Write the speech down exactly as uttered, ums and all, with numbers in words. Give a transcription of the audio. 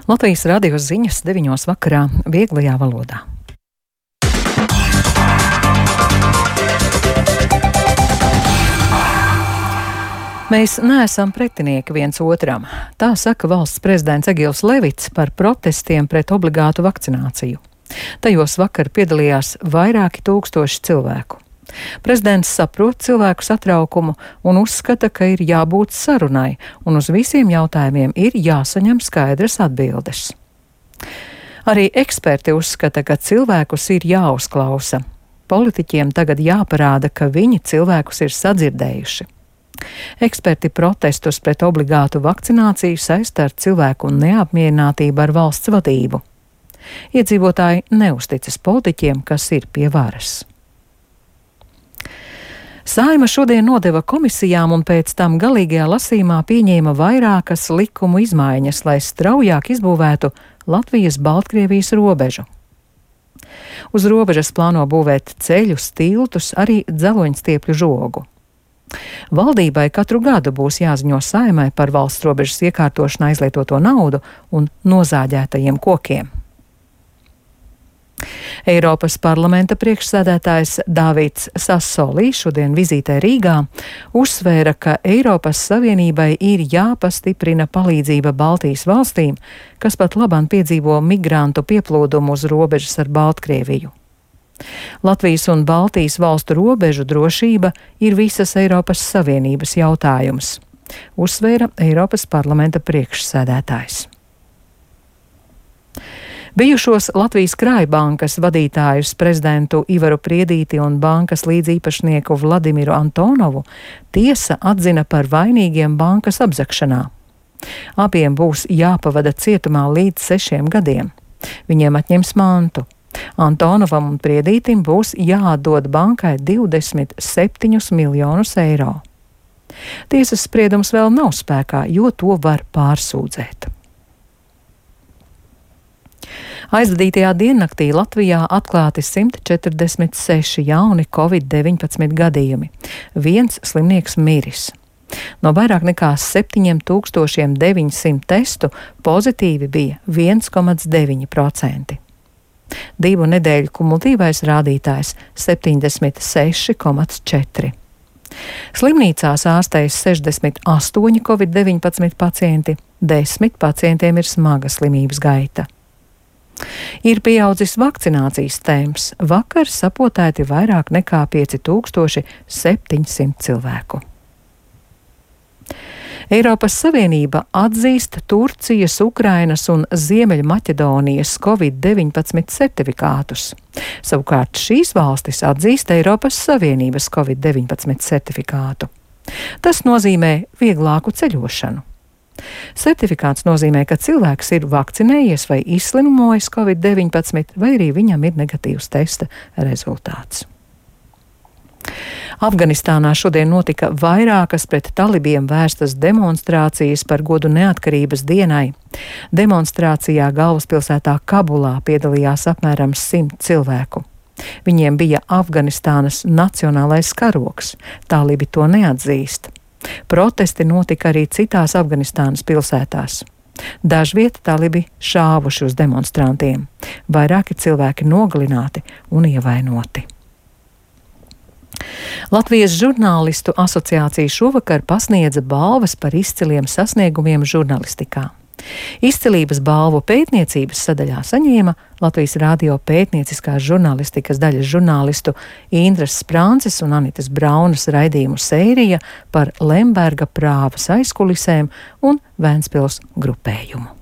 Latvijas radio ziņas deviņos vakarā vieglajā valodā. Mēs neesam pretinieki viens otram. Tā saka valsts prezidents Egils Levits par protestiem pret obligātu vakcināciju. Tajos vakar piedalījās vairāki tūkstoši cilvēku. Prezidents saprot cilvēku satraukumu un uzskata, ka ir jābūt sarunai, un uz visiem jautājumiem ir jāsaņem skaidras atbildes. Arī eksperti uzskata, ka cilvēkus ir jāuzklausa. Politiķiem tagad jāparāda, ka viņi cilvēkus ir sadzirdējuši. Eksperti protestus pret obligātu vakcināciju saista ar cilvēku neapmierinātību ar valsts vadību. Iedzīvotāji neusticas politiķiem, kas ir pie varas. Saeima šodien nodeva komisijām un pēc tam galīgajā lasījumā pieņēma vairākas likumu izmaiņas, lai straujāk izbūvētu Latvijas-Baltkrievijas robežu. Uz robežas plāno būvēt ceļus, tiltus, arī dzeloņstiepļu žogu. Valdībai katru gadu būs jāziņo Saeimai par valsts robežas iekārtošanā izlietoto naudu un nozāģētajiem kokiem. Eiropas parlamenta priekšsēdētājs Dāvids Sassolī šodien vizītē Rīgā uzsvēra, ka Eiropas Savienībai ir jāpastiprina palīdzība Baltijas valstīm, kas pat labāk piedzīvo migrantu pieplūdumu uz robežas ar Baltkrieviju. Latvijas un Baltijas valstu robežu drošība ir visas Eiropas Savienības jautājums, uzsvēra Eiropas parlamenta priekšsēdētājs. Bijušos Latvijas Krājbankas vadītājus prezidentu Ivaru Priedīti un bankas līdzīpašnieku Vladimiru Antonovu tiesa atzina par vainīgiem bankas apzagšanā. Abiem būs jāpavada cietumā līdz sešiem gadiem. Viņiem atņems mantu. Antonovam un Priedītim būs jāatdod bankai divdesmit septiņus miljonus eiro. Tiesas spriedums vēl nav spēkā, jo to var pārsūdzēt. Aizvadītajā diennaktī Latvijā atklāti simt četrdesmit seši jauni covid deviņpadsmit gadījumi. Viens slimnieks miris. No vairāk nekā septiņiem tūkstošiem deviņsimt testu pozitīvi bija viens komats deviņi procenti. Divu nedēļu kumulatīvais rādītājs septiņdesmit seši komats četri. Slimnīcās ārstējas sešdesmit astoņi covid deviņpadsmit pacienti, desmit pacientiem ir smaga slimības gaita. Ir pieaudzis vakcinācijas temps. Vakar sapotēti vairāk nekā pieci tūkstoši septiņsimt cilvēku. Eiropas Savienība atzīst Turcijas, Ukrainas un Ziemeļmaķedonijas covid deviņpadsmit certifikātus. Savukārt šīs valstis atzīst Eiropas Savienības covid deviņpadsmit certifikātu. Tas nozīmē vieglāku ceļošanu. Certifikāts nozīmē, ka cilvēks ir vakcinējies vai izslimojis covid deviņpadsmit, vai arī viņam ir negatīvs testa rezultāts. Afganistānā šodien notika vairākas pret talibiem vērstas demonstrācijas par godu neatkarības dienai. Demonstrācijā galvaspilsētā Kabulā piedalījās apmēram simt cilvēku. Viņiem bija Afganistānas nacionālais karogs. Talibi to neatzīst. Protesti notika arī citās Afganistānas pilsētās. Dažviet talibi šāvuši uz demonstrantiem. Vairāki cilvēki nogalināti un ievainoti. Latvijas žurnālistu asociācija šovakar pasniedza balvas par izciliem sasniegumiem žurnālistikā. Izcilības balvu pētniecības sadaļā saņēma Latvijas radio pētnieciskās žurnālistikas daļas žurnālistu Indras Sprānces un Anitas Braunas raidījumu sērija par Lemberga prāvas aizkulisēm un Vēnspils grupējumu.